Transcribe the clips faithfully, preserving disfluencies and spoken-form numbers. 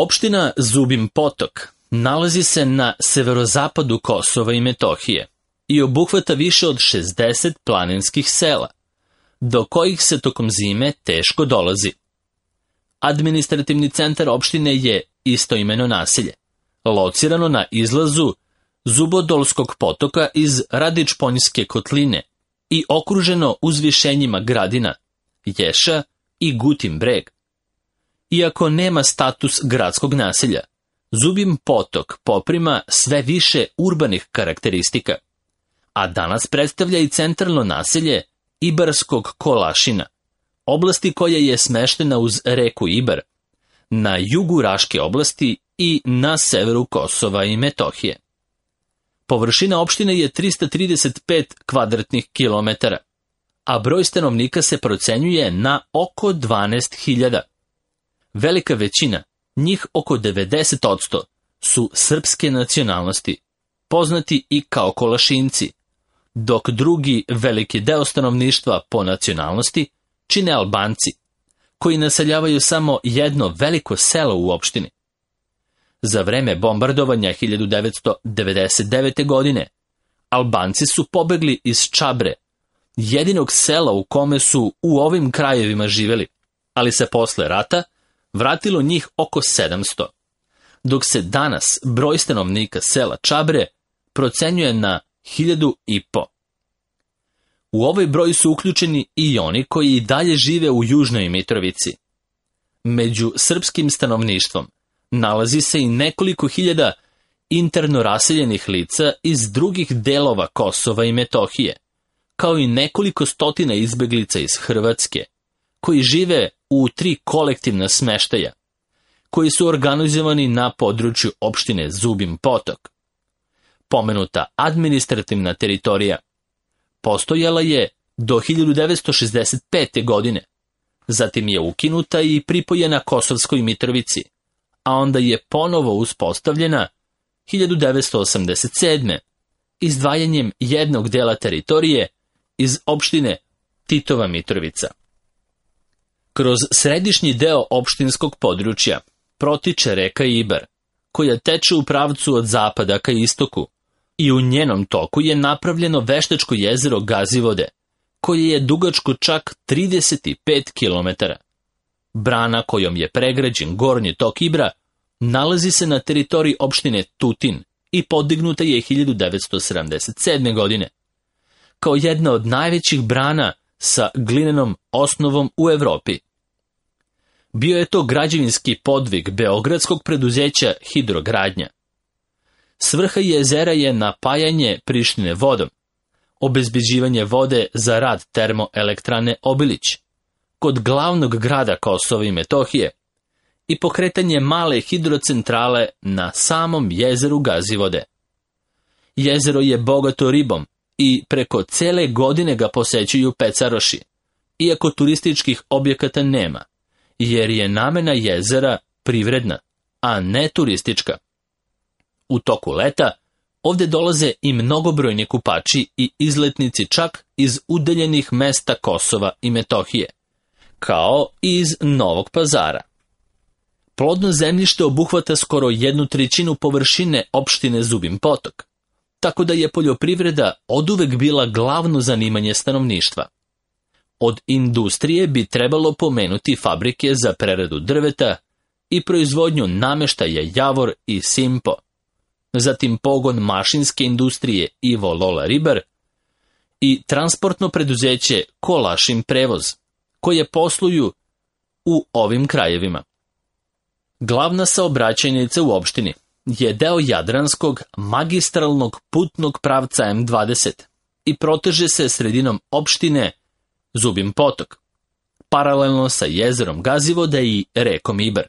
Opština Zubin Potok nalazi se na severozapadu Kosova i Metohije i obuhvata više od šezdeset planinskih sela, do kojih se tokom zime teško dolazi. Administrativni centar opštine je istoimeno naselje, locirano na izlazu Zubodolskog potoka iz Radičponjske kotline i okruženo uzvišenjima gradina Ješa i Gutin breg. Iako nema status gradskog naselja, Zubin Potok poprima sve više urbanih karakteristika, a danas predstavlja i centralno naselje Ibarskog Kolašina, oblasti koja je smeštena uz reku Ibar, na jugu Raške oblasti i na severu Kosova i Metohije. Površina opštine je trista trideset pet kvadratnih kilometara, a broj stanovnika se procenjuje na oko dvanaest hiljada. Velika većina, njih oko devedeset posto, su srpske nacionalnosti, poznati i kao Kolašinci, dok drugi veliki deo stanovništva po nacionalnosti čine Albanci, koji naseljavaju samo jedno veliko selo u opštini. Za vreme bombardovanja hiljadu devetsto devedeset devete. godine, Albanci su pobegli iz Čabre, jedinog sela u kome su u ovim krajevima živeli, ali se posle rata vratilo njih oko sedamsto, dok se danas broj stanovnika sela Čabre procenjuje na hiljadu i po. U ovaj broj su uključeni i oni koji i dalje žive u Južnoj Mitrovici. Među srpskim stanovništvom nalazi se i nekoliko hiljada interno raseljenih lica iz drugih delova Kosova i Metohije, kao i nekoliko stotina izbeglica iz Hrvatske, koji žive u tri kolektivna smeštaja, koji su organizovani na području opštine Zubin Potok. Pomenuta administrativna teritorija postojala je do hiljadu devetsto šezdeset pete. godine, zatim je ukinuta i pripojena Kosovskoj Mitrovici, a onda je ponovo uspostavljena hiljadu devetsto osamdeset sedme. izdvajanjem jednog dela teritorije iz opštine Titova Mitrovica. Kroz središnji deo opštinskog područja protiče reka Ibar, koja teče u pravcu od zapada ka istoku, i u njenom toku je napravljeno veštačko jezero Gazivode, koje je dugačko čak trideset pet kilometara. Brana kojom je pregrađen gornji tok Ibra nalazi se na teritoriji opštine Tutin i podignuta je hiljadu devetsto sedamdeset sedme. godine, kao jedna od najvećih brana sa glinenom osnovom u Evropi. Bio je to građevinski podvig beogradskog preduzeća Hidrogradnja. Svrha jezera je napajanje Prištine vodom, obezbeđivanje vode za rad termoelektrane Obilić, kod glavnog grada Kosova i Metohije, i pokretanje male hidrocentrale na samom jezeru Gazivode. Jezero je bogato ribom i preko cele godine ga posećuju pecaroši, iako turističkih objekata nema, jer je namena jezera privredna, a ne turistička. U toku leta ovde dolaze i mnogobrojni kupači i izletnici čak iz udaljenih mesta Kosova i Metohije, kao i iz Novog Pazara. Plodno zemljište obuhvata skoro jednu trećinu površine opštine Zubin Potok, tako da je poljoprivreda oduvek bila glavno zanimanje stanovništva. Od industrije bi trebalo pomenuti fabrike za preradu drveta i proizvodnju nameštaja Javor i Simpo, zatim pogon mašinske industrije Ivo Lola Ribar i transportno preduzeće Kolašin prevoz, koje posluju u ovim krajevima. Glavna saobraćajnica u opštini je deo Jadranskog magistralnog putnog pravca M dvadeset i proteže se sredinom opštine Zubin Potok, paralelno sa jezerom Gazivode i rekom Ibar.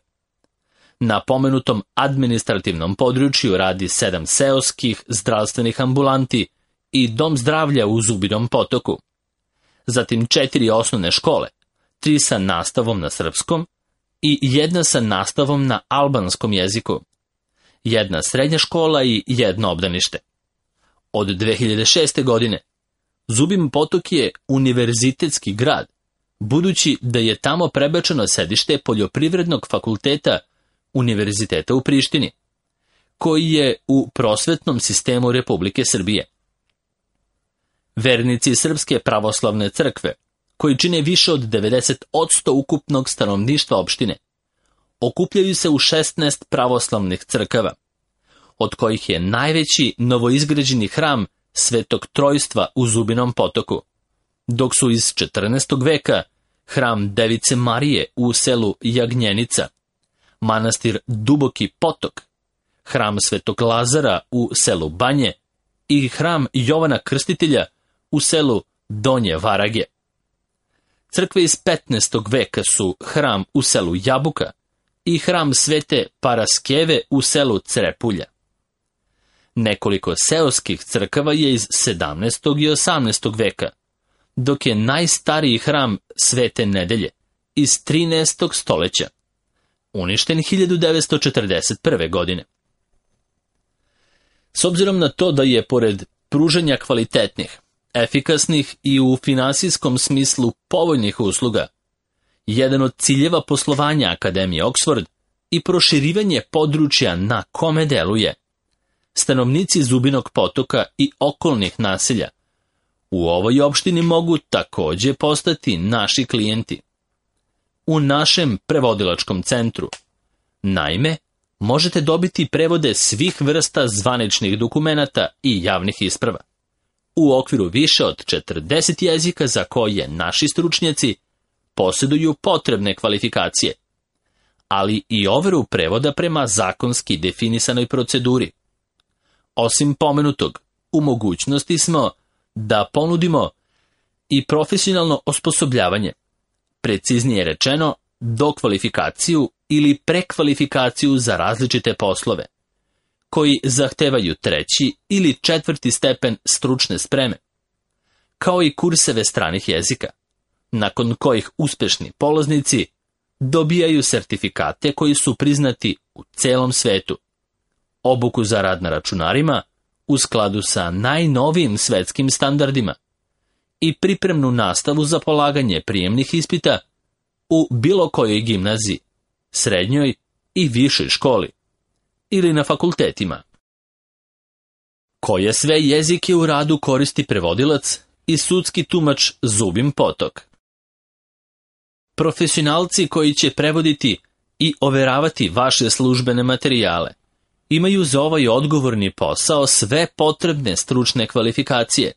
Na pomenutom administrativnom području radi sedam seoskih zdravstvenih ambulanti i dom zdravlja u Zubinom Potoku, zatim četiri osnovne škole, tri sa nastavom na srpskom i jedna sa nastavom na albanskom jeziku, jedna srednja škola i jedno obdanište. Od dve hiljade šeste. godine Zubin Potok je univerzitetski grad, budući da je tamo prebačeno sedište poljoprivrednog fakulteta Univerziteta u Prištini, koji je u prosvetnom sistemu Republike Srbije. Vernici Srpske pravoslavne crkve, koji čine više od devedeset posto ukupnog stanovništva opštine, okupljaju se u šesnaest pravoslavnih crkava, od kojih je najveći novoizgrađeni hram Svetog Trojstva u Zubinom Potoku, dok su iz četrnaestog veka hram Device Marije u selu Jagnjenica, manastir Duboki Potok, hram Svetog Lazara u selu Banje i hram Jovana Krstitelja u selu Donje Varage. Crkve iz petnaestog veka su hram u selu Jabuka i hram Svete Paraskeve u selu Crepulja. Nekoliko seoskih crkava je iz sedamnaestog i osamnaestog veka, dok je najstariji hram Svete Nedelje iz trinaestog stoleća, uništen hiljadu devetsto četrdeset prve. godine. S obzirom na to da je pored pružanja kvalitetnih, efikasnih i u finansijskom smislu povoljnih usluga, jedan od ciljeva poslovanja Akademije Oxford i proširivanje područja na kome deluje, stanovnici Zubinog Potoka i okolnih naselja u ovoj opštini mogu takođe postati naši klijenti. U našem prevodilačkom centru, naime, možete dobiti prevode svih vrsta zvaničnih dokumenata i javnih isprava, u okviru više od četrdeset jezika za koje naši stručnjaci posjeduju potrebne kvalifikacije, ali i overu prevoda prema zakonski definisanoj proceduri. Osim pomenutog, u mogućnosti smo da ponudimo i profesionalno osposobljavanje, preciznije rečeno, dokvalifikaciju ili prekvalifikaciju za različite poslove, koji zahtevaju treći ili četvrti stepen stručne spreme, kao i kurseve stranih jezika, nakon kojih uspešni polaznici dobijaju sertifikate koji su priznati u celom svetu, obuku za rad na računarima u skladu sa najnovijim svetskim standardima i pripremnu nastavu za polaganje prijemnih ispita u bilo kojoj gimnaziji, srednjoj i višoj školi ili na fakultetima. Koje sve jezike u radu koristi prevodilac i sudski tumač Zubin Potok? Profesionalci koji će prevoditi i overavati vaše službene materijale imaju za ovaj odgovorni posao sve potrebne stručne kvalifikacije.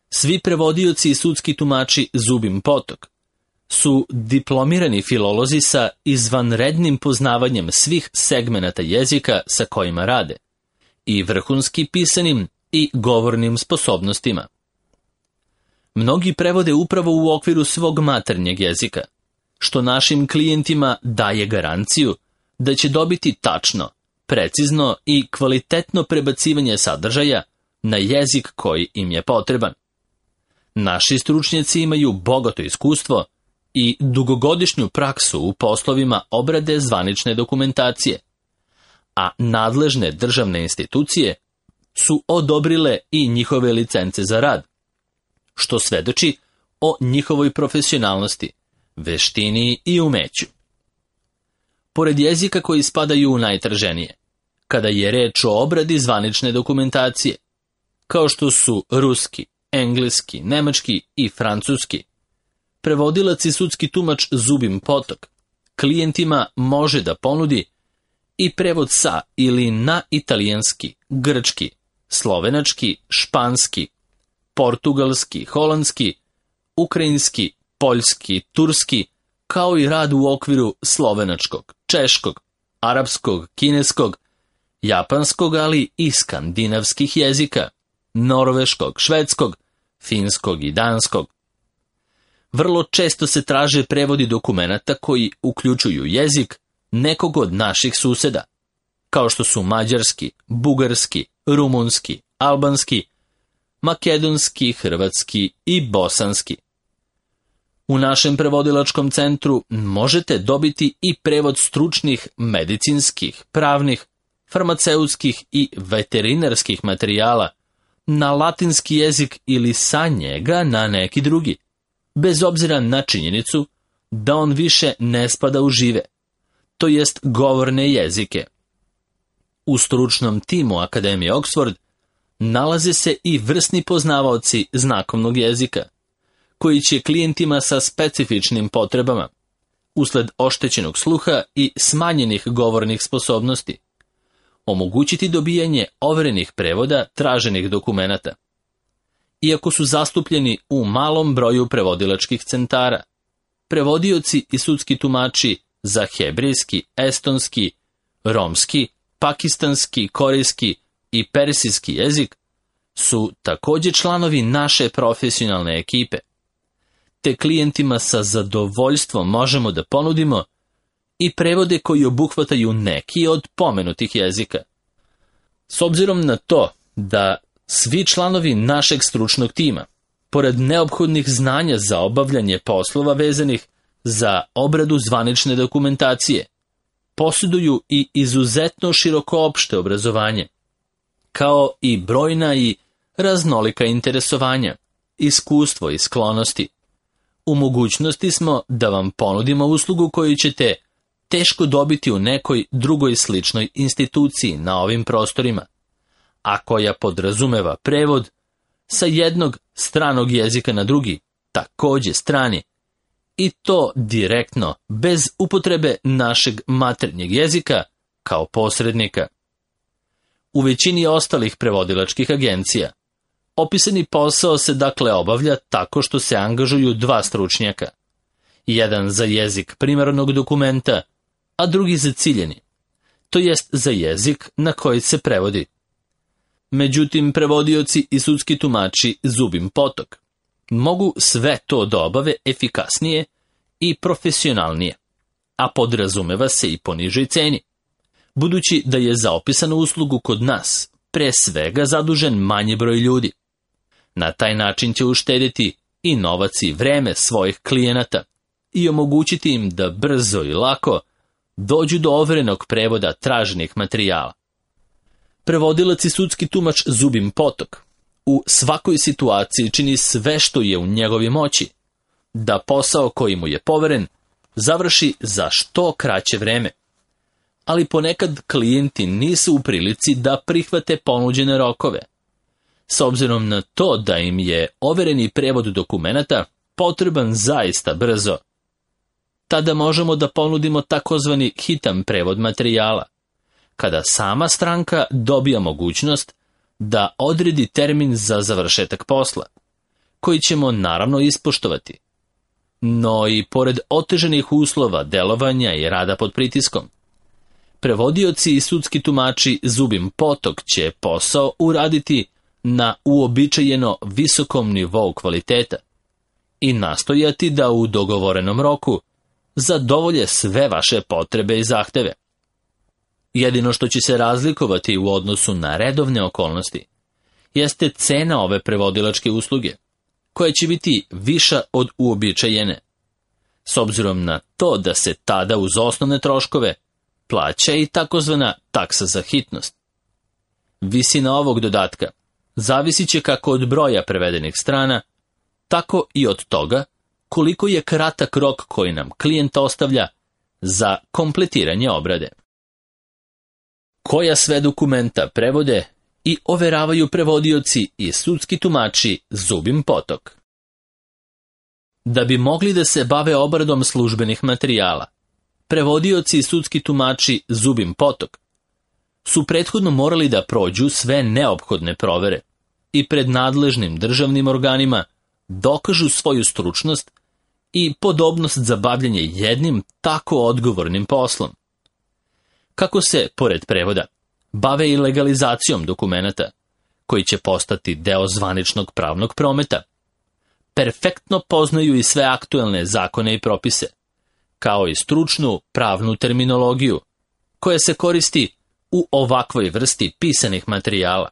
Svi prevodioci i sudski tumači Zubin Potok su diplomirani filolozi sa izvanrednim poznavanjem svih segmenata jezika sa kojima rade i vrhunski pisanim i govornim sposobnostima. Mnogi prevode upravo u okviru svog maternjeg jezika, što našim klijentima daje garanciju da će dobiti tačno, precizno i kvalitetno prebacivanje sadržaja na jezik koji im je potreban. Naši stručnjaci imaju bogato iskustvo i dugogodišnju praksu u poslovima obrade zvanične dokumentacije, a nadležne državne institucije su odobrile i njihove licence za rad, što svedoči o njihovoj profesionalnosti, veštini i umeću. Pored jezika koji spadaju u najtraženije, kada je reč o obradi zvanične dokumentacije, kao što su ruski, engleski, nemački i francuski, prevodilac i sudski tumač Zubin Potok klijentima može da ponudi i prevod sa ili na italijanski, grčki, slovenački, španski, portugalski, holandski, ukrajinski, poljski, turski, kao i rad u okviru slovenačkog, češkog, arapskog, kineskog, japanskog, ali i skandinavskih jezika, norveškog, švedskog, finskog i danskog. Vrlo često se traže prevodi dokumenata koji uključuju jezik nekog od naših suseda, kao što su mađarski, bugarski, rumunski, albanski, makedonski, hrvatski i bosanski. U našem prevodilačkom centru možete dobiti i prevod stručnih, medicinskih, pravnih, farmaceutskih i veterinarskih materijala na latinski jezik ili sa njega na neki drugi, bez obzira na činjenicu da on više ne spada u žive, to jest govorne jezike. U stručnom timu Akademije Oxford nalaze se i vrsni poznavaoci znakovnog jezika, koji će klijentima sa specifičnim potrebama, usled oštećenog sluha i smanjenih govornih sposobnosti, omogućiti dobijanje overenih prevoda traženih dokumenata. Iako su zastupljeni u malom broju prevodilačkih centara, prevodioci i sudski tumači za hebrejski, estonski, romski, pakistanski, korejski i persijski jezik su također članovi naše profesionalne ekipe, te klijentima sa zadovoljstvom možemo da ponudimo i prevode koji obuhvataju neki od pomenutih jezika. S obzirom na to da svi članovi našeg stručnog tima, pored neophodnih znanja za obavljanje poslova vezanih za obradu zvanične dokumentacije, posjeduju i izuzetno široko opšte obrazovanje, kao i brojna i raznolika interesovanja, iskustvo i sklonosti. U mogućnosti smo da vam ponudimo uslugu koju ćete teško dobiti u nekoj drugoj sličnoj instituciji na ovim prostorima, a koja podrazumeva prevod sa jednog stranog jezika na drugi, također strani, i to direktno, bez upotrebe našeg maternjeg jezika kao posrednika. U većini ostalih prevodilačkih agencija opisani posao se dakle obavlja tako što se angažuju dva stručnjaka, jedan za jezik primarnog dokumenta, a drugi za ciljeni, to jest za jezik na koji se prevodi. Međutim, prevodioci i sudski tumači Zubin Potok mogu sve to da obave efikasnije i profesionalnije, a podrazumeva se i po nižoj ceni, budući da je za opisanu uslugu kod nas pre svega zadužen manji broj ljudi. Na taj način će uštediti i novac i vreme svojih klijenata i omogućiti im da brzo i lako dođu do overenog prevoda traženih materijala. Prevodilac i sudski tumač Zubin Potok u svakoj situaciji čini sve što je u njegovoj moći da posao koji mu je poveren završi za što kraće vreme. Ali ponekad klijenti nisu u prilici da prihvate ponuđene rokove, s obzirom na to da im je overeni prevod dokumenata potreban zaista brzo. Tada možemo da ponudimo takozvani hitan prevod materijala, kada sama stranka dobija mogućnost da odredi termin za završetak posla, koji ćemo naravno ispoštovati. No i pored oteženih uslova delovanja i rada pod pritiskom, prevodioci i sudski tumači Zubin Potok će posao uraditi na uobičajeno visokom nivou kvaliteta i nastojati da u dogovorenom roku zadovolje sve vaše potrebe i zahteve. Jedino što će se razlikovati u odnosu na redovne okolnosti jeste cena ove prevodilačke usluge, koja će biti viša od uobičajene, s obzirom na to da se tada uz osnovne troškove plaća i takozvana taksa za hitnost. Visina ovog dodatka zavisit će kako od broja prevedenih strana, tako i od toga koliko je kratak rok koji nam klijent ostavlja za kompletiranje obrade. Koja sve dokumenta prevode i overavaju prevodioci i sudski tumači Zubin Potok? Da bi mogli da se bave obradom službenih materijala, prevodioci i sudski tumači Zubin Potok su prethodno morali da prođu sve neophodne provere i pred nadležnim državnim organima dokažu svoju stručnost i podobnost za bavljanje jednim tako odgovornim poslom. Kako se, pored prevoda, bave i legalizacijom dokumenata, koji će postati deo zvaničnog pravnog prometa, perfektno poznaju i sve aktuelne zakone i propise, kao i stručnu pravnu terminologiju, koja se koristi u ovakvoj vrsti pisanih materijala.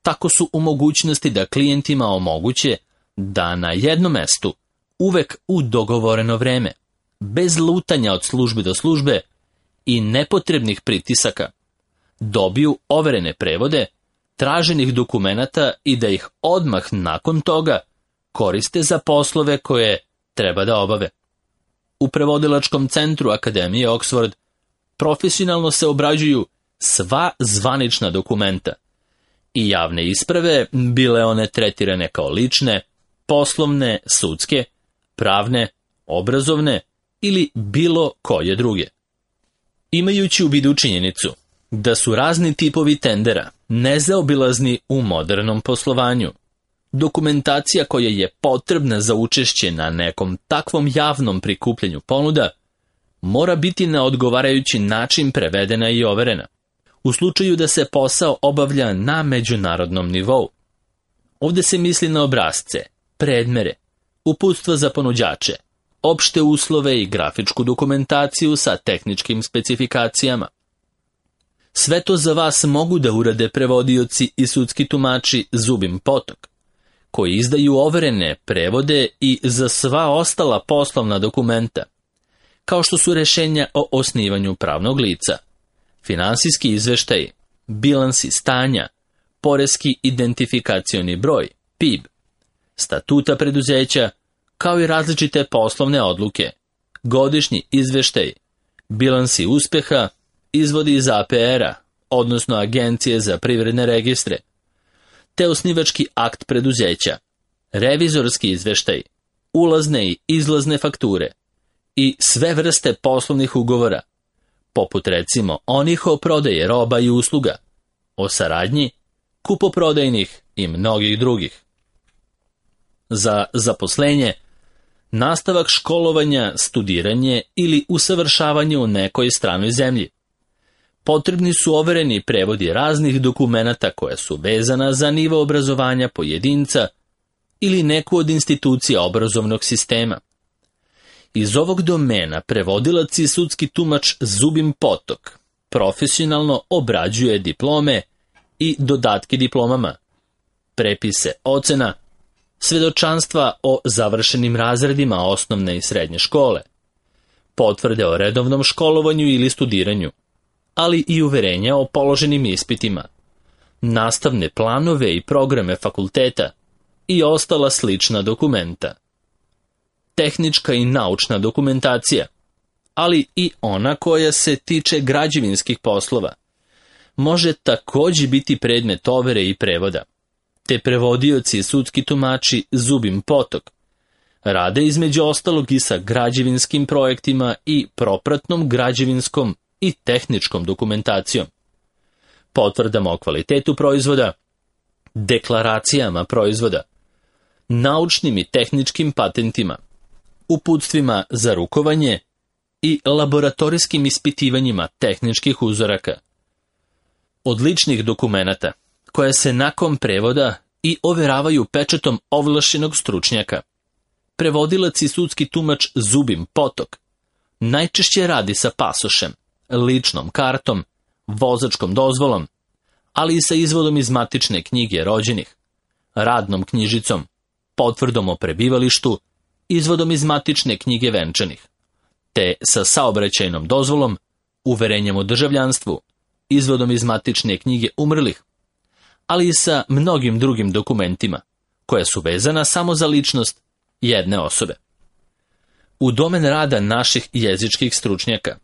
Tako su u mogućnosti da klijentima omoguće da na jednom mestu, uvek u dogovoreno vreme, bez lutanja od službe do službe i nepotrebnih pritisaka, dobiju overene prevode traženih dokumenata i da ih odmah nakon toga koriste za poslove koje treba da obave. U prevodilačkom centru Akademije Oxford profesionalno se obrađuju sva zvanična dokumenta i javne isprave, bile one tretirane kao lične, poslovne, sudske, pravne, obrazovne ili bilo koje druge. Imajući u vidu činjenicu da su razni tipovi tendera nezaobilazni u modernom poslovanju, dokumentacija koja je potrebna za učešće na nekom takvom javnom prikupljanju ponuda mora biti na odgovarajući način prevedena i overena, u slučaju da se posao obavlja na međunarodnom nivou. Ovdje se misli na obrasce, predmere, uputstva za ponuđače, opšte uslove i grafičku dokumentaciju sa tehničkim specifikacijama. Sve to za vas mogu da urade prevodioci i sudski tumači zubim potok, koji izdaju overene prevode i za sva ostala poslovna dokumenta, kao što su rešenja o osnivanju pravnog lica, finansijski izveštaji, bilansi stanja, poreski identifikacioni broj, P I B, statuta preduzeća, kao i različite poslovne odluke, godišnji izveštaj, bilansi uspeha, izvodi iz A P R-a, odnosno Agencije za privredne registre, te osnivački akt preduzeća, revizorski izveštaj, ulazne i izlazne fakture i sve vrste poslovnih ugovora, poput recimo onih o prodaji roba i usluga, o saradnji, kupoprodajnih i mnogih drugih. Za zaposlenje, nastavak školovanja, studiranje ili usavršavanje u nekoj stranoj zemlji. Potrebni su overeni prevodi raznih dokumenata koja su vezana za nivo obrazovanja pojedinca ili neku od institucija obrazovnog sistema. Iz ovog domena prevodilac i sudski tumač zubim potok profesionalno obrađuje diplome i dodatke diplomama, prepise ocena, svedočanstva o završenim razredima osnovne i srednje škole, potvrde o redovnom školovanju ili studiranju, ali i uverenja o položenim ispitima, nastavne planove i programe fakulteta i ostala slična dokumenta. Tehnička i naučna dokumentacija, ali i ona koja se tiče građevinskih poslova, može također biti predmet overe i prevoda, te prevodioci i sudski tumači zubim potok rade između ostalog i sa građevinskim projektima i propratnom građevinskom i tehničkom dokumentacijom, potvrdama o kvalitetu proizvoda, deklaracijama proizvoda, naučnim i tehničkim patentima, uputstvima za rukovanje i laboratorijskim ispitivanjima tehničkih uzoraka. Od ličnih dokumenata, koja se nakon prevoda i overavaju pečatom ovlašćenog stručnjaka, prevodilac i sudski tumač zubim potok najčešće radi sa pasošem, ličnom kartom, vozačkom dozvolom, ali i sa izvodom iz matične knjige rođenih, radnom knjižicom, potvrdom o prebivalištu, izvodom iz matične knjige venčanih, te sa saobraćajnom dozvolom, uverenjem o državljanstvu, izvodom iz matične knjige umrlih, ali i sa mnogim drugim dokumentima, koja su vezana samo za ličnost jedne osobe. U domen rada naših jezičkih stručnjaka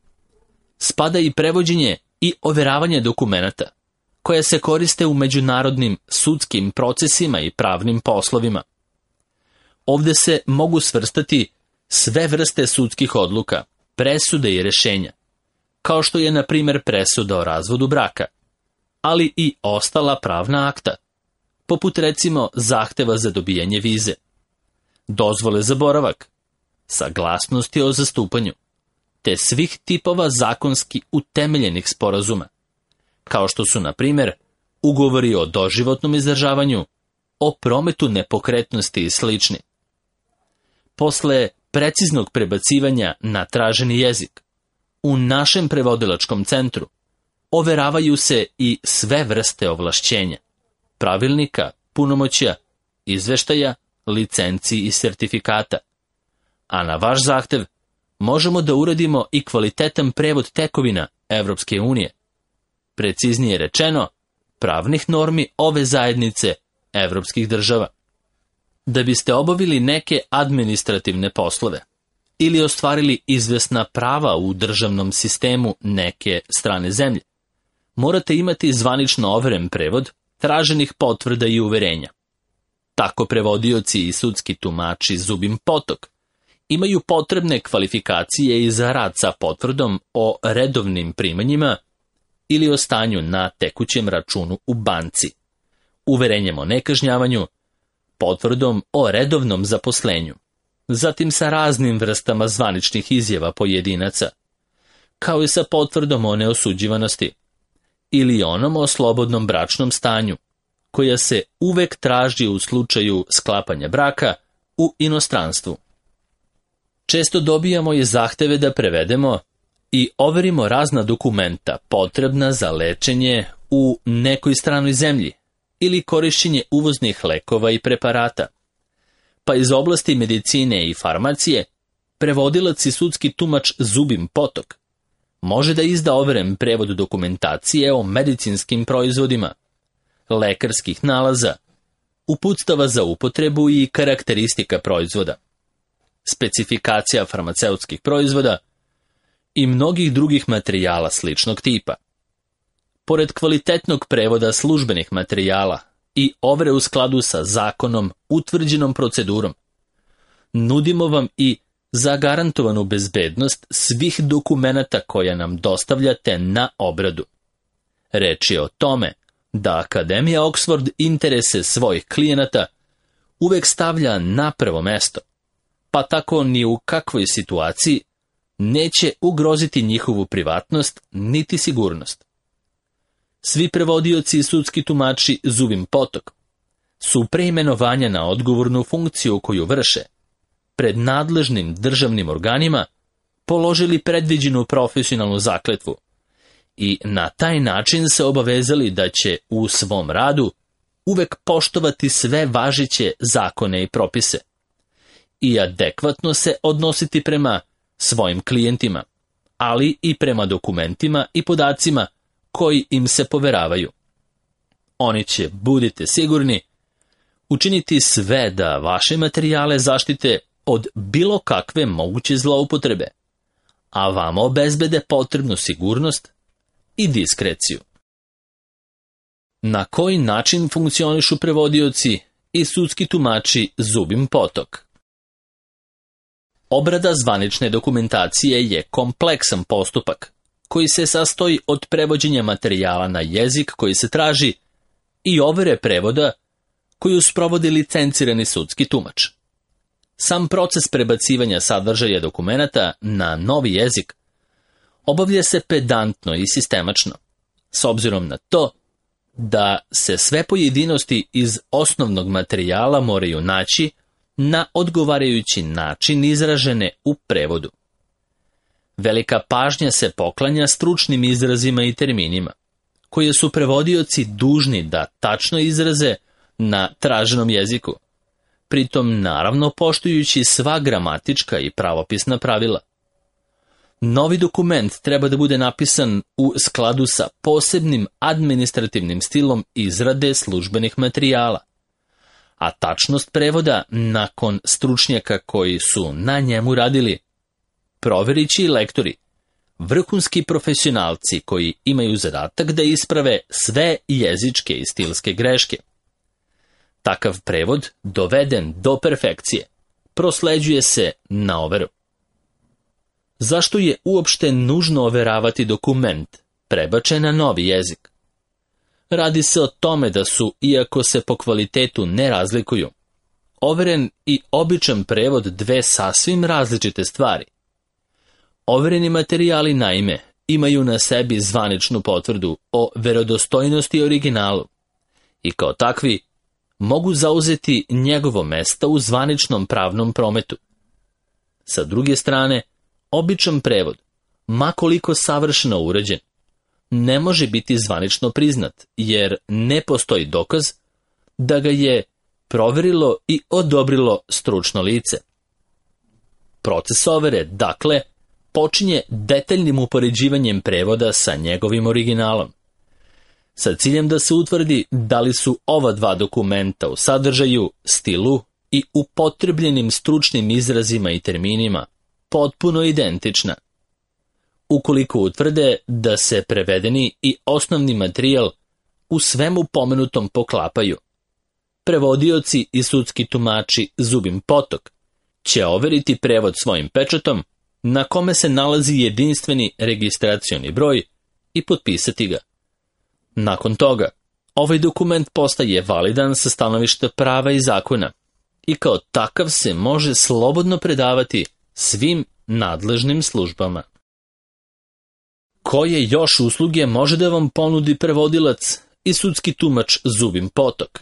spada i prevođenje i overavanje dokumenata, koja se koriste u međunarodnim sudskim procesima i pravnim poslovima. Ovdje se mogu svrstati sve vrste sudskih odluka, presude i rešenja, kao što je na primjer presuda o razvodu braka, ali i ostala pravna akta, poput recimo zahteva za dobijanje vize, dozvole za boravak, saglasnosti o zastupanju, te svih tipova zakonski utemeljenih sporazuma, kao što su na primjer ugovori o doživotnom izdržavanju, o prometu nepokretnosti i slični. Posle preciznog prebacivanja na traženi jezik, u našem prevodilačkom centru overavaju se i sve vrste ovlašćenja, pravilnika, punomoćja, izveštaja, licenci i sertifikata. A na vaš zahtev možemo da uradimo i kvalitetan prevod tekovina Evropske unije. Preciznije rečeno, pravnih normi ove zajednice evropskih država. Da biste obavili neke administrativne poslove, ili ostvarili izvesna prava u državnom sistemu neke strane zemlje, morate imati zvanično overen prevod traženih potvrda i uverenja. Tako prevodioci i sudski tumači Zubin Potok imaju potrebne kvalifikacije i za rad sa potvrdom o redovnim primanjima ili o stanju na tekućem računu u banci, uverenjem o nekažnjavanju, potvrdom o redovnom zaposlenju, zatim sa raznim vrstama zvaničnih izjava pojedinaca, kao i sa potvrdom o neosuđivanosti, ili onom o slobodnom bračnom stanju, koja se uvek traži u slučaju sklapanja braka u inostranstvu. Često dobijamo i zahteve da prevedemo i overimo razna dokumenta potrebna za lečenje u nekoj stranoj zemlji ili korišćenje uvoznih lekova i preparata. Pa iz oblasti medicine i farmacije, prevodilac i sudski tumač Zubin Potok može da izda overen prevod dokumentacije o medicinskim proizvodima, lekarskih nalaza, uputstava za upotrebu i karakteristika proizvoda, specifikacija farmaceutskih proizvoda i mnogih drugih materijala sličnog tipa. Pored kvalitetnog prevoda službenih materijala i overe u skladu sa zakonom utvrđenom procedurom, nudimo vam i zagarantovanu bezbednost svih dokumenata koja nam dostavljate na obradu. Reč je o tome da Akademija Oxford interese svojih klijenata uvek stavlja na prvo mesto, pa tako ni u kakvoj situaciji neće ugroziti njihovu privatnost niti sigurnost. Svi prevodioci i sudski tumači Zubin Potok su pre imenovanja na odgovornu funkciju koju vrše pred nadležnim državnim organima položili predviđenu profesionalnu zakletvu i na taj način se obavezali da će u svom radu uvek poštovati sve važeće zakone i propise i adekvatno se odnositi prema svojim klijentima, ali i prema dokumentima i podacima koji im se poveravaju. Oni će, budite sigurni, učiniti sve da vaše materijale zaštite od bilo kakve moguće zloupotrebe, a vama obezbede potrebnu sigurnost i diskreciju. Na koji način funkcionišu prevodioci i sudski tumači Zubin Potok? Obrada zvanične dokumentacije je kompleksan postupak koji se sastoji od prevođenja materijala na jezik koji se traži i overe prevoda koju sprovodi licencirani sudski tumač. Sam proces prebacivanja sadržaja dokumenata na novi jezik obavlja se pedantno i sistemačno, s obzirom na to da se sve pojedinosti iz osnovnog materijala moraju naći na odgovarajući način izražene u prevodu. Velika pažnja se poklanja stručnim izrazima i terminima, koje su prevodioci dužni da tačno izraze na traženom jeziku, pritom naravno poštujući sva gramatička i pravopisna pravila. Novi dokument treba da bude napisan u skladu sa posebnim administrativnim stilom izrade službenih materijala, a tačnost prevoda nakon stručnjaka koji su na njemu radili proverit će i lektori, vrhunski profesionalci koji imaju zadatak da isprave sve jezičke i stilske greške. Takav prevod, doveden do perfekcije, prosleđuje se na overu. Zašto je uopšte nužno overavati dokument prebačen na novi jezik? Radi se o tome da su, iako se po kvalitetu ne razlikuju, overen i običan prevod dve sasvim različite stvari. Overeni materijali, naime, imaju na sebi zvaničnu potvrdu o verodostojnosti originalu i kao takvi mogu zauzeti njegovo mesto u zvaničnom pravnom prometu. Sa druge strane, običan prevod, ma koliko savršeno urađen, ne može biti zvanično priznat, jer ne postoji dokaz da ga je proverilo i odobrilo stručno lice. Proces overe, dakle, počinje detaljnim upoređivanjem prevoda sa njegovim originalom, sa ciljem da se utvrdi da li su ova dva dokumenta u sadržaju, stilu i upotrebljenim stručnim izrazima i terminima potpuno identična. Ukoliko utvrde da se prevedeni i osnovni materijal u svemu pomenutom poklapaju, prevodioci i sudski tumači Zubin Potok će overiti prevod svojim pečatom na kome se nalazi jedinstveni registracioni broj i potpisati ga. Nakon toga, ovaj dokument postaje validan sa stanovišta prava i zakona i kao takav se može slobodno predavati svim nadležnim službama. Koje još usluge može da vam ponudi prevodilac i sudski tumač Zubin Potok?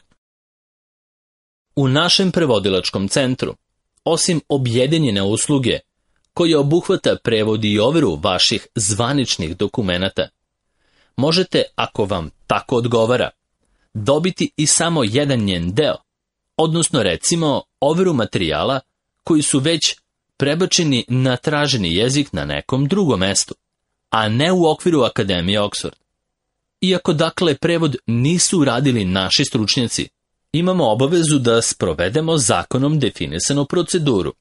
U našem prevodilačkom centru, osim objedinjene usluge koja obuhvata prevod i overu vaših zvaničnih dokumenata, možete, ako vam tako odgovara, dobiti i samo jedan njen deo, odnosno recimo overu materijala koji su već prebačeni na traženi jezik na nekom drugom mestu, a ne u okviru Akademije Oxford. Iako dakle prevod nisu uradili naši stručnjaci, imamo obavezu da sprovedemo zakonom definisanu proceduru,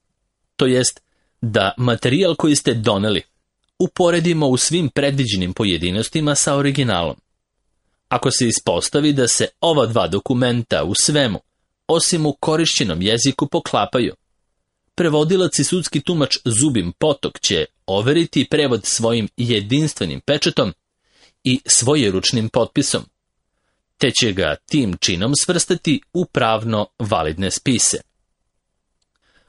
to jest da materijal koji ste doneli uporedimo u svim predviđenim pojedinostima sa originalom. Ako se ispostavi da se ova dva dokumenta u svemu, osim u korišćenom jeziku, poklapaju, prevodilac i sudski tumač Zubin Potok će overiti prevod svojim jedinstvenim pečatom i svojeručnim potpisom, te će ga tim činom svrstati u pravno validne spise.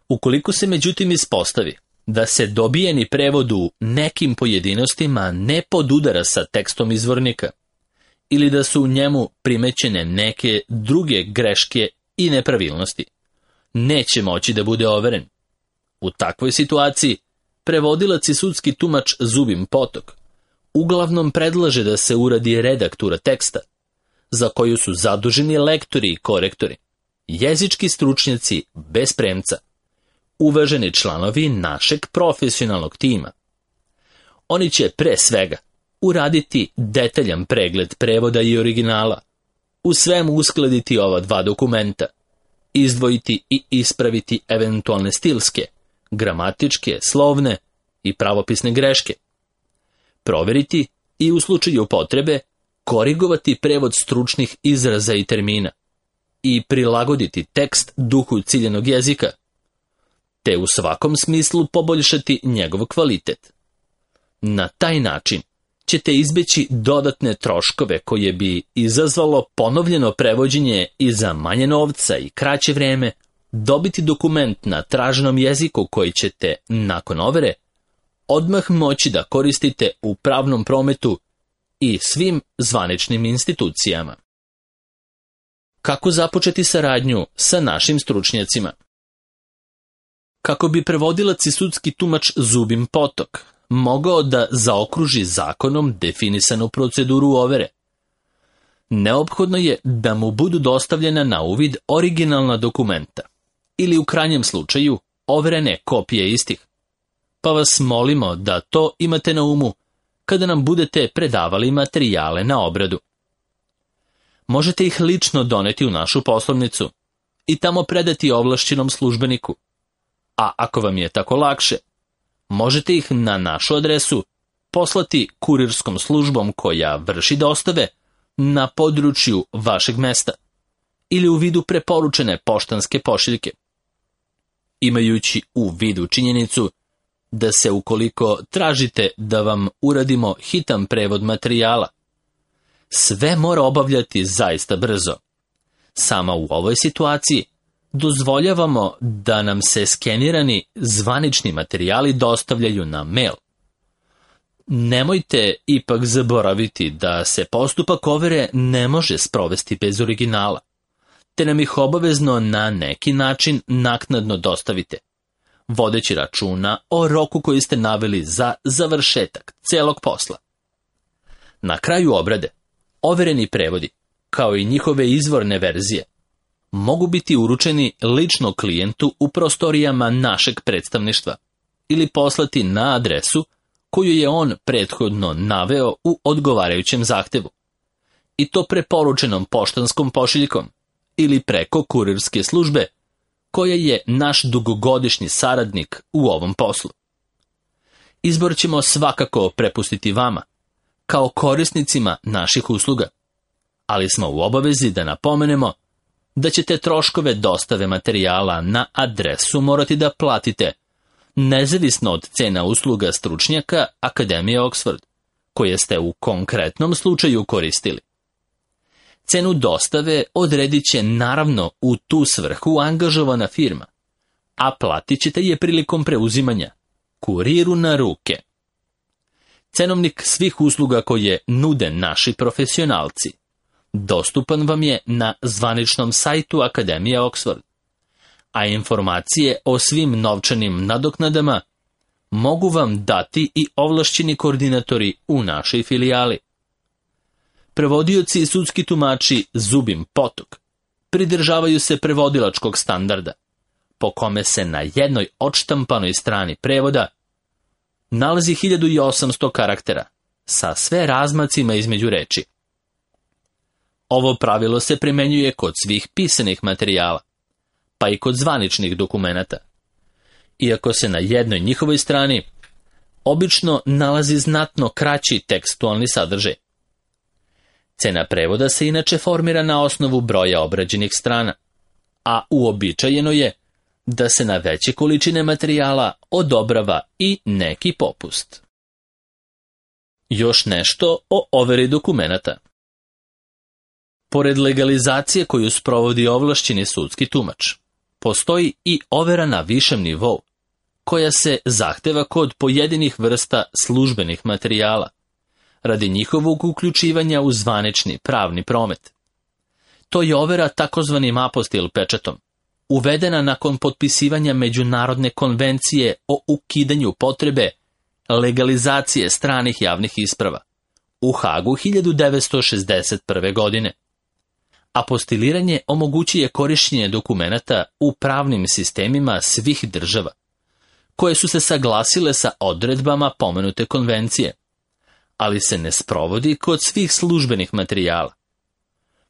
Ukoliko se međutim ispostavi da se dobijeni prevod u nekim pojedinostima ne podudara sa tekstom izvornika ili da su u njemu primećene neke druge greške i nepravilnosti, neće moći da bude overen. U takvoj situaciji prevodilac i sudski tumač Zubin Potok uglavnom predlaže da se uradi redaktura teksta, za koju su zaduženi lektori i korektori, jezički stručnjaci bez premca, uvaženi članovi našeg profesionalnog tima. Oni će pre svega uraditi detaljan pregled prevoda i originala, u svemu uskladiti ova dva dokumenta, izdvojiti i ispraviti eventualne stilske, gramatičke, slovne i pravopisne greške, proveriti i u slučaju potrebe korigovati prevod stručnih izraza i termina i prilagoditi tekst duhu ciljanog jezika, te u svakom smislu poboljšati njegov kvalitet. Na taj način ćete izbeći dodatne troškove koje bi izazvalo ponovljeno prevođenje i za manje novca i kraće vreme dobiti dokument na traženom jeziku koji ćete, nakon overe, odmah moći da koristite u pravnom prometu i svim zvaničnim institucijama. Kako započeti saradnju sa našim stručnjacima? Kako bi prevodilac i sudski tumač Zubin Potok mogao da zaokruži zakonom definisanu proceduru overe, neophodno je da mu budu dostavljena na uvid originalna dokumenta ili u krajnjem slučaju overene kopije istih. Pa vas molimo da to imate na umu kada nam budete predavali materijale na obradu. Možete ih lično doneti u našu poslovnicu i tamo predati ovlašćenom službeniku, a ako vam je tako lakše, možete ih na našu adresu poslati kurirskom službom koja vrši dostave na području vašeg mesta ili u vidu preporučene poštanske pošiljke. Imajući u vidu činjenicu da se ukoliko tražite da vam uradimo hitan prevod materijala, sve mora obavljati zaista brzo. Sama u ovoj situaciji dozvoljavamo da nam se skenirani zvanični materijali dostavljaju na mail. Nemojte ipak zaboraviti da se postupak overe ne može sprovesti bez originala, te nam ih obavezno na neki način naknadno dostavite, vodeći računa o roku koji ste naveli za završetak celog posla. Na kraju obrade, overeni prevodi, kao i njihove izvorne verzije, mogu biti uručeni lično klijentu u prostorijama našeg predstavništva ili poslati na adresu koju je on prethodno naveo u odgovarajućem zahtevu, i to preporučenom poštanskom pošiljkom ili preko kurirske službe koja je naš dugogodišnji saradnik u ovom poslu. Izbor ćemo svakako prepustiti vama, kao korisnicima naših usluga, ali smo u obavezi da napomenemo da ćete troškove dostave materijala na adresu morati da platite, nezavisno od cena usluga stručnjaka Akademije Oxford, koje ste u konkretnom slučaju koristili. Cenu dostave odredit će naravno u tu svrhu angažovana firma, a platit ćete je prilikom preuzimanja, kuriru na ruke. Cenovnik svih usluga koje nude naši profesionalci dostupan vam je na zvaničnom sajtu Akademije Oxford, a informacije o svim novčanim nadoknadama mogu vam dati i ovlašćeni koordinatori u našoj filijali. Prevodioci i sudski tumači Zubin Potok pridržavaju se prevodilačkog standarda, po kome se na jednoj odštampanoj strani prevoda nalazi hiljadu osamsto karaktera sa sve razmacima između reči. Ovo pravilo se primenjuje kod svih pisanih materijala, pa i kod zvaničnih dokumenata, iako se na jednoj njihovoj strani obično nalazi znatno kraći tekstualni sadržaj. Cena prevoda se inače formira na osnovu broja obrađenih strana, a uobičajeno je da se na veće količine materijala odobrava i neki popust. Još nešto o overi dokumenata. Pored legalizacije koju sprovodi ovlašćeni sudski tumač, postoji i overa na višem nivou, koja se zahteva kod pojedinih vrsta službenih materijala, radi njihovog uključivanja u zvanični pravni promet. To je overa takozvanim apostil pečatom, uvedena nakon potpisivanja Međunarodne konvencije o ukidanju potrebe legalizacije stranih javnih isprava u Hagu hiljadu devetsto šezdeset prve. godine. Apostiliranje omogućuje korištenje dokumenata u pravnim sistemima svih država, koje su se saglasile sa odredbama pomenute konvencije, ali se ne sprovodi kod svih službenih materijala.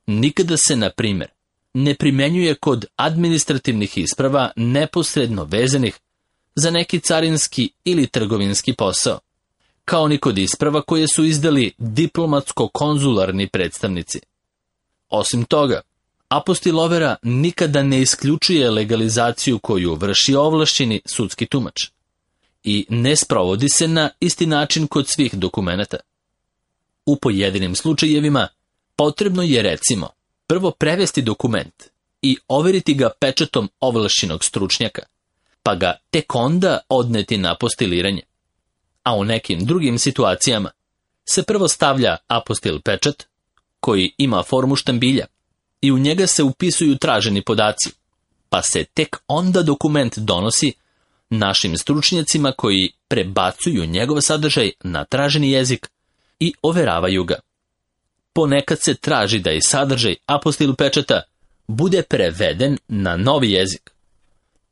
Nikada se, na primjer, ne primenjuje kod administrativnih isprava neposredno vezanih za neki carinski ili trgovinski posao, kao ni kod isprava koje su izdali diplomatsko-konzularni predstavnici. Osim toga, apostil overa nikada ne isključuje legalizaciju koju vrši ovlašćeni sudski tumač i ne sprovodi se na isti način kod svih dokumenata. U pojedinim slučajevima potrebno je, recimo, prvo prevesti dokument i overiti ga pečatom ovlašćenog stručnjaka, pa ga tek onda odneti na apostiliranje. A u nekim drugim situacijama se prvo stavlja apostil pečat, koji ima formu štambilja, i u njega se upisuju traženi podaci, pa se tek onda dokument donosi našim stručnjacima koji prebacuju njegov sadržaj na traženi jezik i overavaju ga. Ponekad se traži da i sadržaj apostil pečata bude preveden na novi jezik.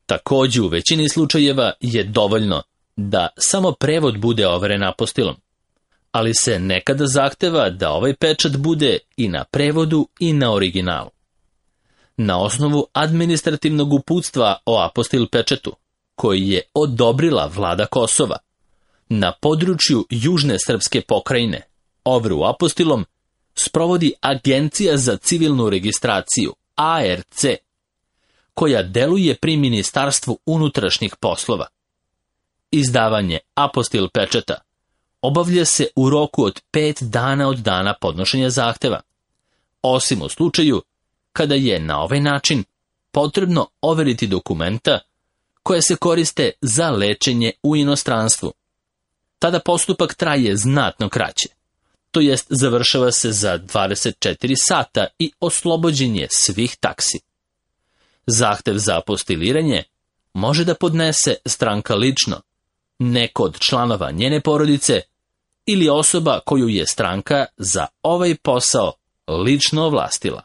Također u većini slučajeva je dovoljno da samo prevod bude overen apostilom, ali se nekada zahteva da ovaj pečat bude i na prevodu i na originalu. Na osnovu administrativnog uputstva o apostil pečatu, koji je odobrila vlada Kosova, na području južne srpske pokrajine, overu apostilom sprovodi Agencija za civilnu registraciju, A R C, koja deluje pri Ministarstvu unutrašnjih poslova. Izdavanje apostil pečata obavlja se u roku od pet dana od dana podnošenja zahteva, osim u slučaju kada je na ovaj način potrebno overiti dokumenta koje se koriste za lečenje u inostranstvu. Tada postupak traje znatno kraće, to jest završava se za dvadeset četiri sata i oslobođen je svih taksi. Zahtev za apostiliranje može da podnese stranka lično, neko od članova njene porodice ili osoba koju je stranka za ovaj posao lično ovlastila.